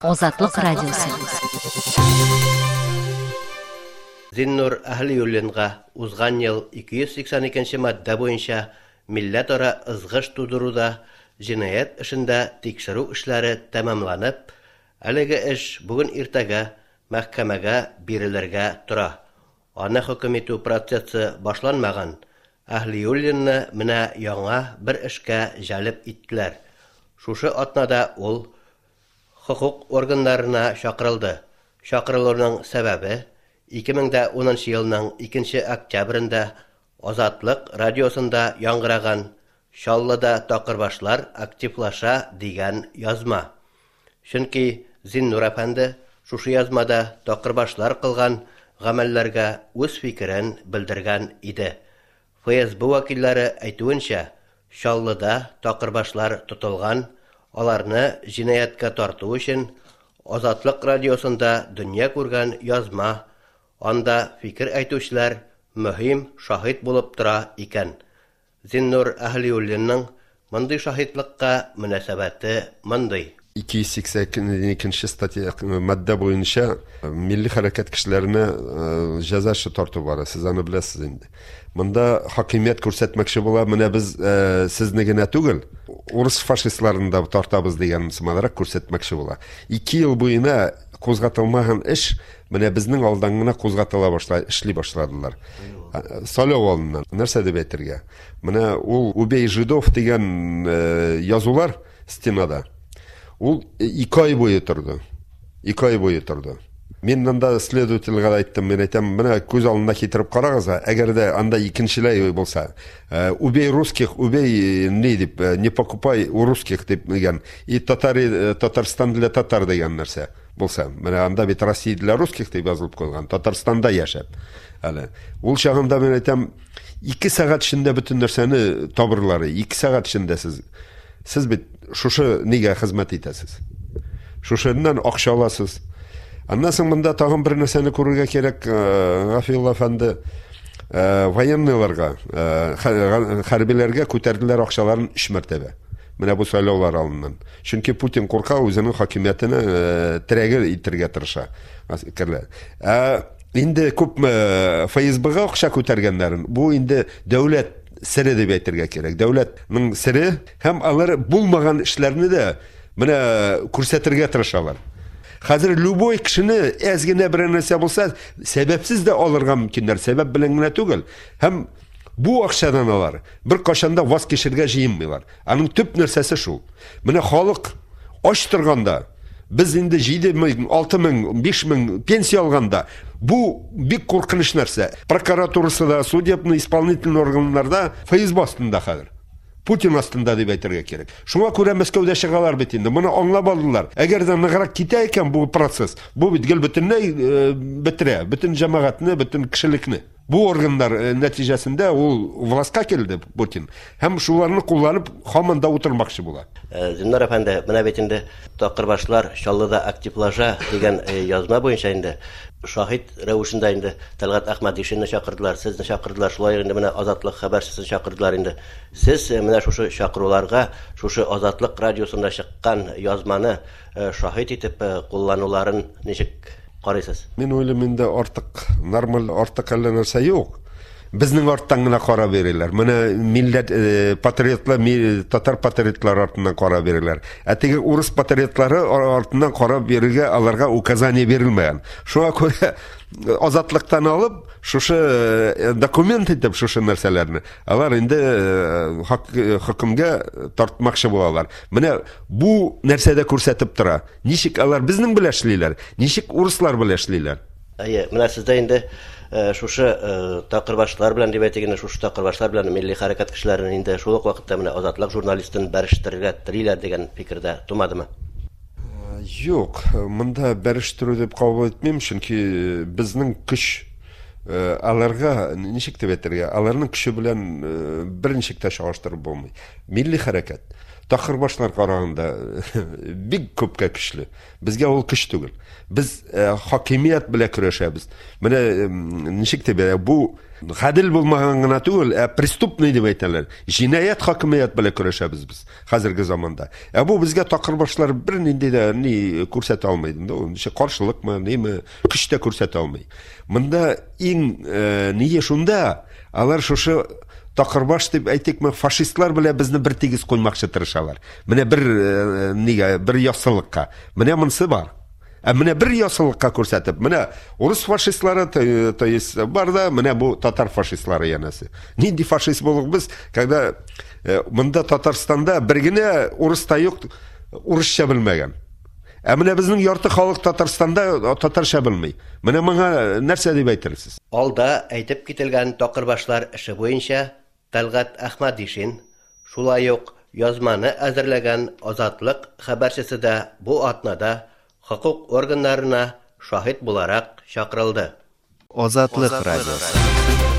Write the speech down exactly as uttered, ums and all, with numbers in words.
Азатлык радиосы. Зиннур Әһлиуллинга узган ел ике йөз сиксән икенче маддә буенча милләтара ызгыш тудыруда җинаять эшендә тикшерү эшләре тәмамланып, әлеге эш бүген иртәгә мәхкәмәгә бирелергә тора. Аны хөкем итү процессы башланмаган. Әһлиуллинны менә яңа бер эшкә җәлеп иттеләр. Шушы атнада ул хокук органнарына чакырылды. Чакырылуның сәбәбе ике мең дә унынчы елның икенче октябрендә Азатлык радиосында яңгыраган Чаллыда такырбашлар активлаша дигән язма. Чөнки Зиннур әфәнде шушы язмада такырбашлар кылган гамәлләргә үз фикерен белдергән иде. Ф С Б вәкилләре әйтүенчә, Чаллыда такырбашлар тотылган, аларны җинаятькә тарту өчен Азатлык радиосында дөнья күргән язма, анда фикер әйтүчеләр мөһим шаһит булып тора икән. Зиннур Әһлиуллинның мондый шаһитлыкка мөнәсәбәте мондый. Ике йөз сиксән икенче статья маддә буенча милли хәрәкәт кешеләренә җәза эше тарту бар, сез аны беләсез инде. Монда хакимият күрсәтмәкче була, менә без сезне генә түгел, урыс фашистларын да тартабыз дигән сыманрак күрсәтмәкче була. Ике ел буена кузгатылмаган эш менә безнең алдан гына кузгатыла башлай, эшли башладылар. Сайлау алдыннан. Нәрсә дип әйтергә? Менә ул Убей жидов дигән язулар стенада. Ул ике ай буе торды. Ике ай буе торды. Мин монда следовательгә әйттем, мин әйтәм, менә күз алдына китереп карагыз, әгәр дә анда икенчеләй булса, убей русских, убей не дип, не покупай у русских дип дигән, и татари, Татарстан для татар дигән нәрсә булса. Менә анда бит Россия для русских дип язылып куйган, Татарстанда яшәп. Әле ул чагында мин әйтәм, ике сәгать эчендә бөтен нәрсәне табырлар, ике сәгать эчендә сез, сез бит шушы нигә хезмәт итәсез? Шушыннан акча аласыз. Аннан соң монда тагын бер нәрсәне күрергә кирәк, Гафиулла әфәнде, военныйларга, хәрбиләргә күтәрделәр акчаларын өч мәртәбә. Менә бу сайлаулар алдыннан. Чөнки Путин курка, үзенең хакимиятенә терәге итәргә тырыша. Ә инде күпме Ф С Б-га акча күтәргәннәрен, бу инде дәүләт сере дип әйтергә кирәк. Дәүләтнең сере һәм алар булмаган эшләрне дә менә күрсәтергә тырышалар. Хәзер любой кешене әз генә бер нәрсә булса, сәбәпсез дә алырга мөмкиннәр, сәбәп белән генә түгел. Һәм бу акчадан алар бер кашан да ваз кичергә җыенмыйлар. Аның төп нәрсәсе шул. Менә халык ач торганда, без инде җиде мең, алты мең, биш мең пенсия алганда, бу бик куркыныч нәрсә. Прокуратурасы да, судебный исполнительный органнарда Ф С Б астында хәзер. Путин астында дип әйтергә кирәк. Шуңа күрә Мәскәүдә чыгалар бит инде. Моны аңлап алдылар. Әгәр дә ныграк китә икән бу процесс, бу бит гел бөтенләй, э, бетерә, бөтен җәмәгатьне, бөтен кешелекне. Бу органнар, э, нәтиҗәсендә ул властька килде Путин. Һәм шуларны кулланып һаман да утырмакчы була. Э, Зиннур әфәнде, менә бит инде такырбашлар Чаллыда активлаша дигән, э, язма буенча инде шаһит рәвешендә инде Тәлгать Әхмәдишинны чакырдылар, сезне чакырдылар, шулай инде менә Азатлык хәбәрчесен чакырдылар инде. Сез, э, менә шушы чакыруларга, шушы Азатлык радиосында чыккан язманы, э, шаһит итеп, э, куллануларын ничек карыйсыз? Мин уйлыйм, инде артык нормаль, артык әллә нәрсә юк. Безнең арттан гына кара бирәләр. Менә милләт, э, патриотлар, ми-, татар патриотлары артыннан кара бирәләр. Ә теге урыс патриотлары ар-, артыннан кара бирергә аларга указание бирелмәгән. Шуңа күрә азатлыктан алып, шушы, э, документ итеп шушы нәрсәләрне алар инде, э, хак-, хөкемгә тартмакчы булалар. Менә бу нәрсәдә күрсәтеп тора. Ничек алар безнең белән эшлиләр, ничек урыслар белән эшлиләр. Әйе, менә сездә инде, э, шушы, э, такырбашлар белән дип әйтик инде, шушы такырбашлар белән милли хәрәкәт кешеләрен инде шул ук вакытта менә Азатлык журналистын бәрештерергә телиләр дигән фикердә тумадымы? Э, юк, монда бәрештерү дип кабул итмим, чөнки безнең көч, э, аларга ничек дип әйтергә, аларның көче белән, э, берничек тә чагыштырып булмый. Милли хәрәкәт такырбашлар караганда бик күпкә көчле. Безгә ул көч түгел. Без, э, хакимият белән көрәшәбез. Менә, м, ничек дип әйтә, бу Гадел булмаган гына түгел, ә преступный дип әйтәләр. Җинаять хакимият белән көрәшәбез без хәзерге заманда. Ә бу безгә такырбашлар бернинди дә ни күрсәтә алмый. Ул ничә каршылыкмы, ниме, көч тә күрсәтә алмый. Монда иң э, ние шунда, алар шушы такырбаш дип әйтикме, фашистлар белән безне бер тигез куймакчы тырышалар. Менә бер э, нигә, бер яссылыкка. Менә монысы бар. Ә менә бер яссылыкка күрсәтеп, менә урыс фашистлары, то, то есть бар да, менә бу татар фашистлары янәсе. Нинди фашист булдык без, когда э, монда Татарстанда бер генә урыс та юк, урысча белмәгән. Ә менә безнең ярты халык Татарстанда татарча белми. Менә моңа нәрсә дип әйтерсез? Алда әйтеп кителгән такырбашлар эше буенча Тәлгать Әхмәдишин, шулай ук язманы әзерләгән Азатлык хәбәрчесе дә бу атнада хокук органнарына шаһит буларак чакырылды. Азатлык радиосы.